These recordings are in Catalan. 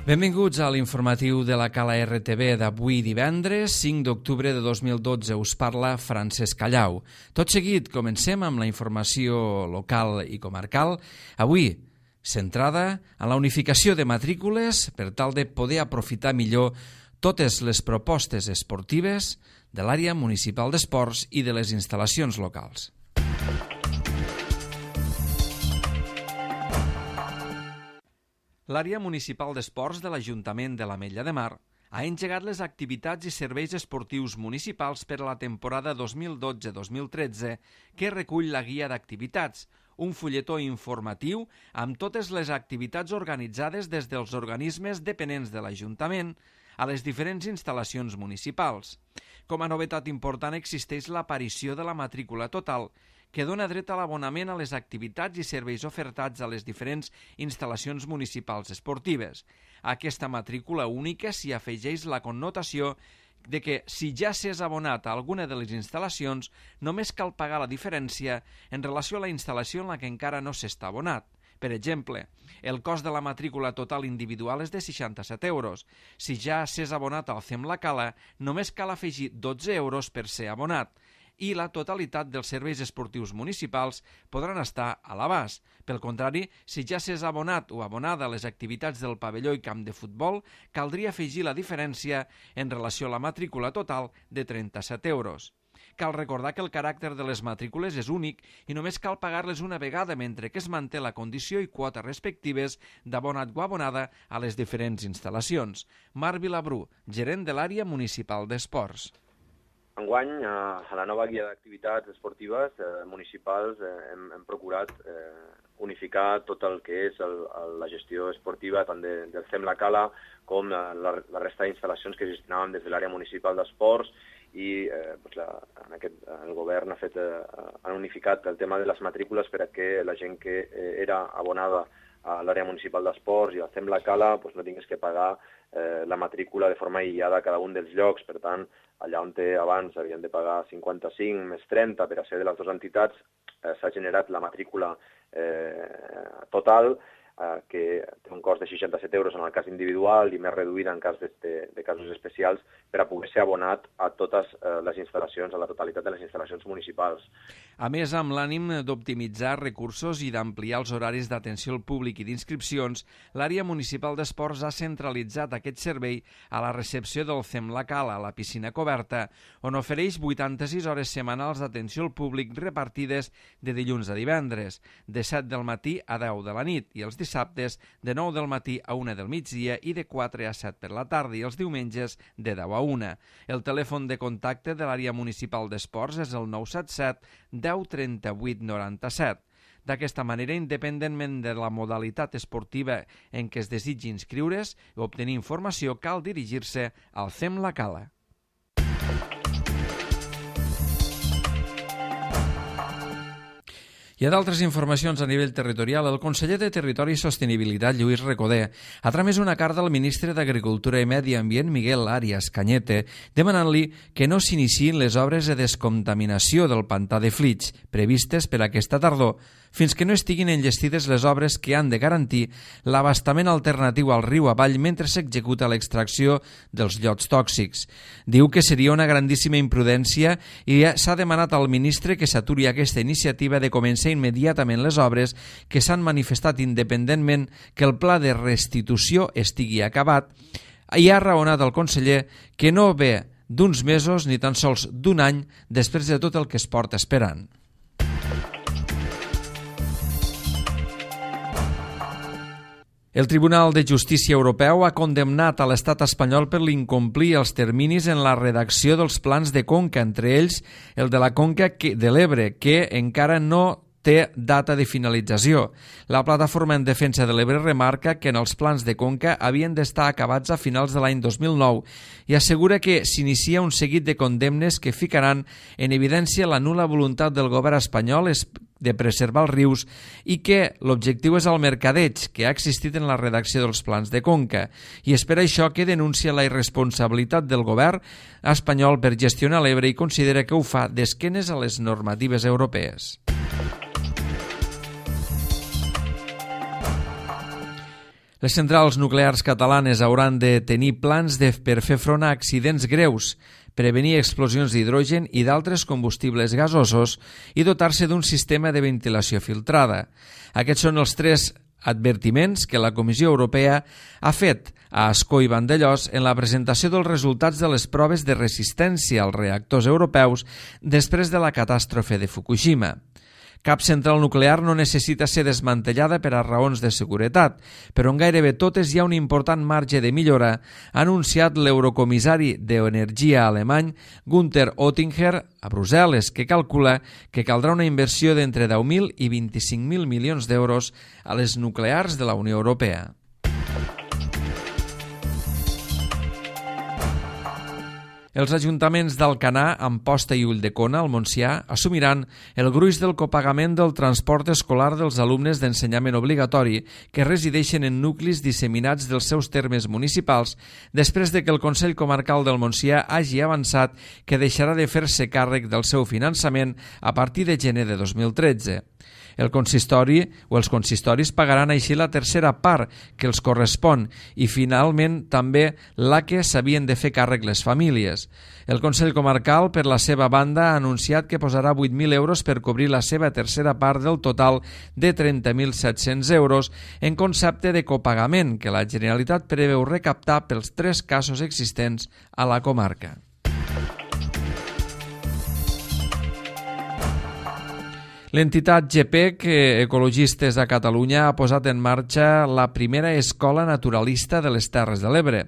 Benvinguts a l'informatiu de la Cala RTV d'avui divendres, 5 d'octubre de 2012. Us parla Francesc Callau. Tot seguit, comencem amb la informació local i comarcal. Avui, centrada en la unificació de matrícules per tal de poder aprofitar millor totes les propostes esportives de l'àrea municipal d'esports i de les instal·lacions locals. L'àrea municipal d'esports de l'Ajuntament de l'Ametlla de Mar ha engegat les activitats i serveis esportius municipals per a la temporada 2012-2013 que recull la guia d'activitats, un fulletó informatiu amb totes les activitats organitzades des dels organismes dependents de l'Ajuntament a les diferents instal·lacions municipals. Com a novetat important existeix l'aparició de la matrícula total, que dona dret a l'abonament a les activitats i serveis ofertats a les diferents instal·lacions municipals esportives. A aquesta matrícula única s'hi afegeix la connotació de que si ja s'és abonat a alguna de les instal·lacions, només cal pagar la diferència en relació a la instal·lació en la que encara no s'està abonat. Per exemple, el cost de la matrícula total individual és de 67 euros. Si ja s'és abonat al CEM La Cala, només cal afegir 12 euros per ser abonat, i la totalitat dels serveis esportius municipals podran estar a l'abast. Pel contrari, si ja s'és abonat o abonada a les activitats del pavelló i camp de futbol, caldria afegir la diferència en relació a la matrícula total de 37 euros. Cal recordar que el caràcter de les matrícules és únic i només cal pagar-les una vegada, mentre que es manté la condició i quota respectives d'abonat o abonada a les diferents instal·lacions. Marc Vilabrú, gerent de l'àrea municipal d'esports. Enguany, a la nova guia d'activitats esportives municipals hem procurat unificar tot el que és la gestió esportiva tant del CEM La Cala com la resta d'instal·lacions que gestionàvem des de l'àrea municipal d'esports i el govern ha unificat el tema de les matrícules perquè la gent que era abonada a l'àrea municipal d'esports i al CEM La Cala no tingués que pagar la matrícula de forma aïllada a cada un dels llocs. Per tant, allà on abans havien de pagar 55 més 30 per a ser de les dues entitats, s'ha generat la matrícula total, que té un cost de 67 euros en el cas individual i més reduïda en cas de casos especials per a poder ser abonat a totes les instal·lacions, a la totalitat de les instal·lacions municipals. A més, amb l'ànim d'optimitzar recursos i d'ampliar els horaris d'atenció al públic i d'inscripcions, l'àrea municipal d'esports ha centralitzat aquest servei a la recepció del CEM La Cala, a la piscina coberta, on ofereix 86 hores setmanals d'atenció al públic repartides de dilluns a divendres, de 7 del matí a 10 de la nit, i els dissabtes de 9 del matí a 1 del migdia i de 4 a 7 per la tarda i els diumenges de 10 a 1. El telèfon de contacte de l'àrea municipal d'esports és el 977 10 38 97. D'aquesta manera, independentment de la modalitat esportiva en què es desitgi inscriure's o obtenir informació, cal dirigir-se al CEM La Cala. Hi ha d'altres informacions a nivell territorial. El conseller de Territori i Sostenibilitat, Lluís Recoder, ha tramès una carta al ministre d'Agricultura i Medi Ambient, Miguel Arias Cañete, demanant-li que no s'iniciïn les obres de descontaminació del pantà de Flix, previstes per aquesta tardor, fins que no estiguin enllestides les obres que han de garantir l'abastament alternatiu al riu avall mentre s'executa l'extracció dels llots tòxics. Diu que seria una grandíssima imprudència i s'ha demanat al ministre que s'aturi aquesta iniciativa de començar immediatament les obres que s'han manifestat independentment que el pla de restitució estigui acabat, i ha raonat el conseller que no ve d'uns mesos ni tan sols d'un any després de tot el que es porta esperant. El Tribunal de Justícia Europeu ha condemnat a l'estat espanyol per l'incomplir els terminis en la redacció dels plans de conca, entre ells el de la conca de l'Ebre, que encara no té data de finalització. La Plataforma en Defensa de l'Ebre remarca que en els plans de conca havien d'estar acabats a finals de l'any 2009 i assegura que s'inicia un seguit de condemnes que ficaran en evidència la nul·la voluntat del govern espanyol de preservar els rius i que l'objectiu és el mercadeig que ha existit en la redacció dels plans de conca, i és per això que denuncia la irresponsabilitat del govern espanyol per gestionar l'Ebre i considera que ho fa d'esquenes a les normatives europees. Les centrals nuclears catalanes hauran de tenir plans per fer front a accidents greus, prevenir explosions d'hidrogen i d'altres combustibles gasosos i dotar-se d'un sistema de ventilació filtrada. Aquests són els 3 advertiments que la Comissió Europea ha fet a Ascó i Vandellòs en la presentació dels resultats de les proves de resistència als reactors europeus després de la catàstrofe de Fukushima. Cap central nuclear no necessita ser desmantellada per a raons de seguretat, però en gairebé totes hi ha un important marge de millora, ha anunciat l'eurocomissari d'energia alemany Günther Oettinger a Brussel·les, que calcula que caldrà una inversió d'entre 10.000 i 25.000 milions d'euros a les nuclears de la Unió Europea. Els ajuntaments d'Alcanar, Amposta i Ulldecona, al Montsià, assumiran el gruix del copagament del transport escolar dels alumnes d'ensenyament obligatori que resideixen en nuclis disseminats dels seus termes municipals després de que el Consell Comarcal del Montsià hagi avançat que deixarà de fer-se càrrec del seu finançament a partir de gener de 2013. El consistori o els consistoris pagaran així la tercera part que els correspon i, finalment, també la que s'havien de fer càrrec les famílies. El Consell Comarcal, per la seva banda, ha anunciat que posarà 8.000 euros per cobrir la seva tercera part del total de 30.700 euros en concepte de copagament que la Generalitat preveu recaptar pels 3 casos existents a la comarca. L'entitat GPEC, Ecologistes a Catalunya, ha posat en marxa la primera escola naturalista de les Terres de l'Ebre.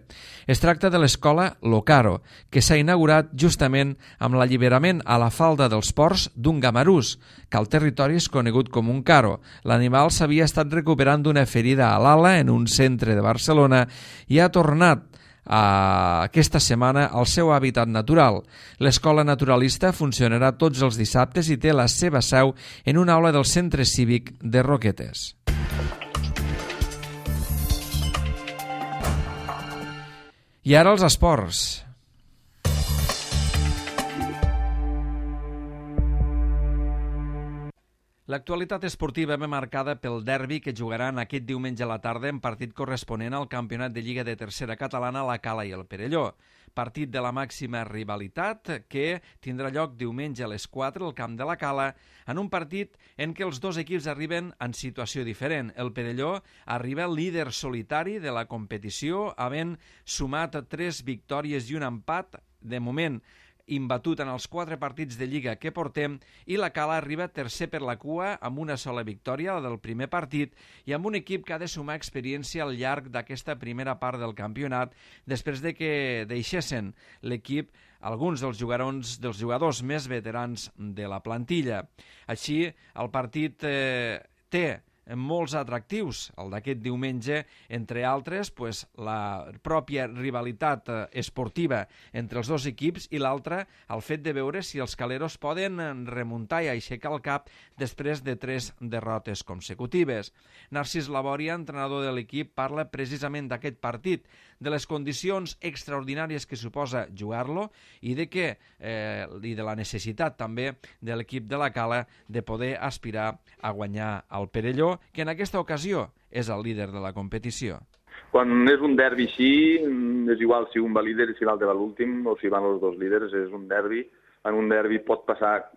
Es tracta de l'escola Locaro, que s'ha inaugurat justament amb l'alliberament a la falda dels ports d'un gamarús, que al territori és conegut com un caro. L'animal s'havia estat recuperant d'una ferida a l'ala en un centre de Barcelona i ha tornat aquesta setmana al seu hàbitat natural. L'escola naturalista funcionarà tots els dissabtes i té la seva seu en una aula del centre cívic de Roquetes. I ara els esports. L'actualitat esportiva ve marcada pel derbi que jugaran aquest diumenge a la tarda en partit corresponent al campionat de Lliga de Tercera Catalana, la Cala i el Perelló. Partit de la màxima rivalitat que tindrà lloc diumenge a les 4 al camp de la Cala, en un partit en què els dos equips arriben en situació diferent. El Perelló arriba líder solitari de la competició, havent sumat 3 victòries i un empat, de moment imbatut en els 4 partits de Lliga que portem, i la Cala arriba tercer per la cua amb una sola victòria, la del primer partit, i amb un equip que ha de sumar experiència al llarg d'aquesta primera part del campionat, després de que deixessin l'equip alguns dels jugadors més veterans de la plantilla. Així, el partit té molts atractius, el d'aquest diumenge, entre altres, la pròpia rivalitat esportiva entre els dos equips i l'altra, el fet de veure si els caleros poden remuntar i aixecar el cap després de 3 derrotes consecutives. Narcís Labòria, entrenador de l'equip, parla precisament d'aquest partit, de les condicions extraordinàries que suposa jugar-lo i de la necessitat també de l'equip de la Cala de poder aspirar a guanyar el Perelló, que en aquesta ocasió és el líder de la competició. Quan és un derbi així, és igual si un va líder i si l'altre va l'últim, o si van els dos líders, és un derbi. En un derbi pot passar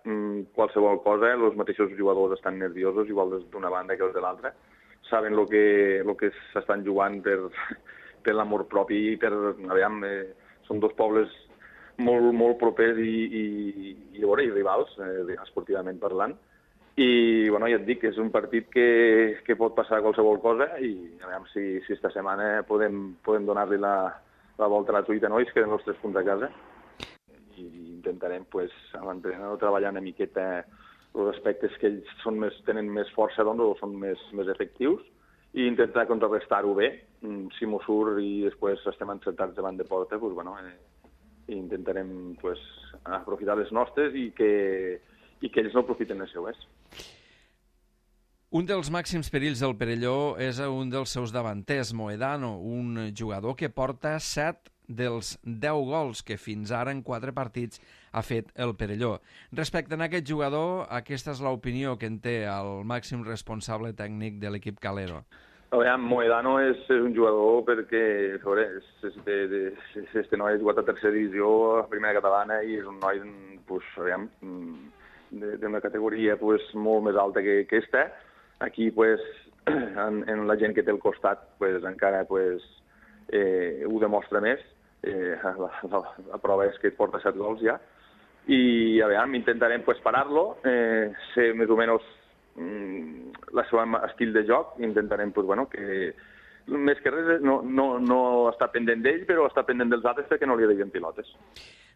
qualsevol cosa, els mateixos jugadors estan nerviosos, igual d'una banda que els de l'altra. Saben el que s'estan jugant per l'amor propi i per... Són dos pobles molt propers i rivals, esportivament parlant. I ja et dic, és un partit que pot passar qualsevol cosa i a veure si esta setmana podem donar-li la volta a la truita, nois, que eren els 3 punts a casa. I intentarem, amb l'entrenador, treballar una miqueta els aspectes que ells tenen més força o són més efectius i intentar contrarrestar-ho bé. Si m'ho surt i després estem encertats davant de porta, intentarem aprofitar les nostres i que ells no aprofiten les seues. Un dels màxims perills del Perelló és un dels seus davanters, Moedano, un jugador que porta 7 dels 10 gols que fins ara en 4 partits ha fet el Perelló. Respecte a aquest jugador, aquesta és l'opinió que en té el màxim responsable tècnic de l'equip calero. Aviam, Moedano és un jugador perquè, a veure, este noi ha jugat a tercera divisió, a primera catalana, i és un noi, pues, aviam, d'una categoria pues, molt més alta que aquesta. Aquí, pues, en la gent que té al costat, pues, encara pues, ho demostra més. La prova és que et porta 7 gols ja. I, aviam, intentarem pues, parar-lo, ser més o menys la seva estil de joc, intentarem pues, bueno, que més que res no està pendent d'ell, però està pendent dels altres perquè no li deien pilotes.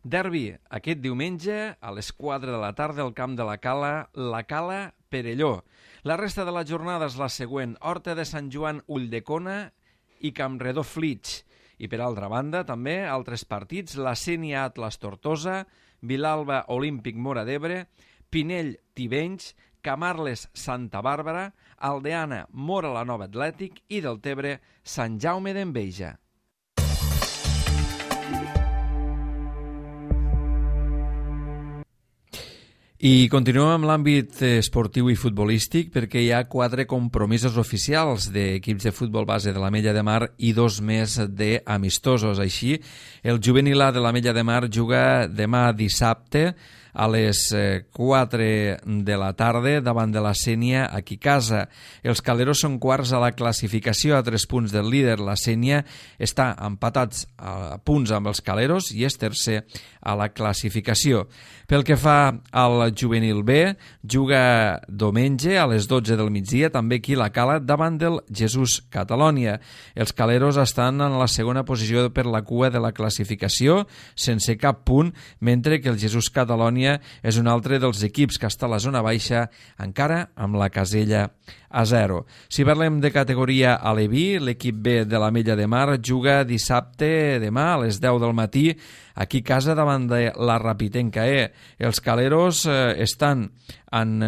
Derbi aquest diumenge a les 4 de la tarda al camp de la Cala Perelló. La resta de la jornada és la següent: Horta de Sant Joan Ulldecona i Campredó Flix. I per altra banda també altres partits: la Sénia Atlas Tortosa, Vilalba Olímpic Móra d'Ebre, Pinell Tivenys, Camarles Santa Bàrbara, Aldeana Móra la Nova Atlètic i Deltebre Sant Jaume d'Enveja. I continuem amb l'àmbit esportiu i futbolístic perquè hi ha 4 compromisos oficials d'equips de futbol base de l'Ametlla de Mar i 2 més d'amistosos. Així, el juvenil A de l'Ametlla de Mar juga demà dissabte a les 4 de la tarda davant de la Sénia aquí a casa. Els caleros són quarts a la classificació a 3 punts del líder. La Sénia està empatats a punts amb els caleros i és tercer a la classificació. Pel que fa al juvenil B, juga diumenge a les 12 del migdia, també aquí a la Cala, davant del Jesús Catalònia. Els caleros estan en la segona posició per la cua de la classificació, sense cap punt, mentre que el Jesús Catalònia és un altre dels equips que està a la zona baixa, encara amb la casella a 0. Si parlem de categoria aleví, l'equip B de l'Ametlla de Mar juga dissabte, demà, a les 10 del matí, aquí a casa davant de la Rapitenca E. Els caleros estan en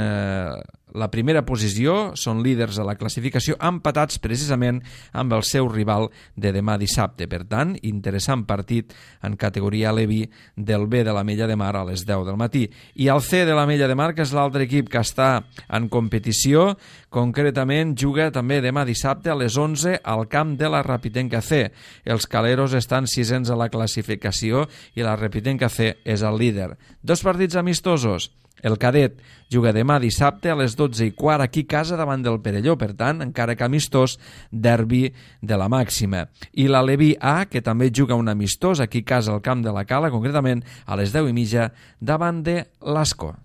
la primera posició, són líders a la classificació, empatats precisament amb el seu rival de demà dissabte. Per tant, interessant partit en categoria aleví del B de l'Ametlla de Mar a les 10 del matí. I el C de l'Ametlla de Mar, que és l'altre equip que està en competició, concretament juga també demà dissabte a les 11 al camp de la Rapitenca C. Els caleros estan 6ens a la classificació i la Rapitenca C és el líder. 2 partits amistosos. El cadet juga demà dissabte a les 12:15 aquí a casa davant del Perelló, per tant, encara que amistós, derbi de la màxima. I l'Aleví A, que també juga un amistós aquí a casa al camp de la Cala, concretament a les 10:30 davant de l'Ascó.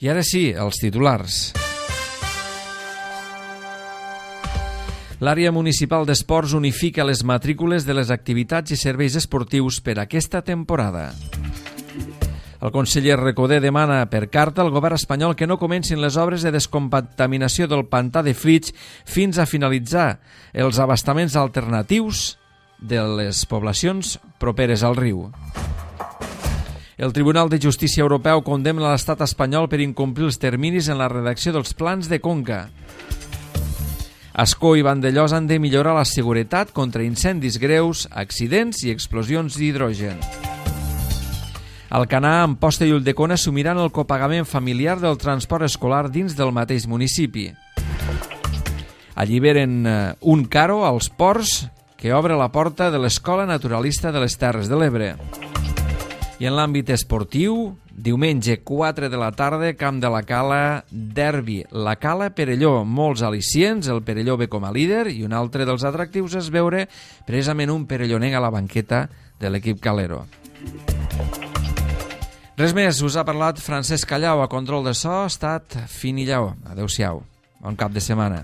I ara sí, els titulars. L'àrea municipal d'esports unifica les matrícules de les activitats i serveis esportius per aquesta temporada. El conseller Recoder demana per carta al govern espanyol que no comencin les obres de descontaminació del pantà de Flix fins a finalitzar els abastaments alternatius de les poblacions properes al riu. El Tribunal de Justícia Europeu condemna l'estat espanyol per incomplir els terminis en la redacció dels plans de conca. Ascó i Vandellós han de millorar la seguretat contra incendis greus, accidents i explosions d'hidrogen. Alcanar, Amposta i Ulldecona assumiran el copagament familiar del transport escolar dins del mateix municipi. Alliberen un caro als ports que obre la porta de l'Escola Naturalista de les Terres de l'Ebre. I en l'àmbit esportiu, diumenge 4 de la tarda, camp de la Cala, derbi. La Cala Perelló, molts al·licients, el Perelló ve com a líder i un altre dels atractius és veure precisament un perellonenc a la banqueta de l'equip calero. Res més, us ha parlat Francesc Callau, a control de so ha estat Fini Lleó. Adéu-siau, bon cap de setmana.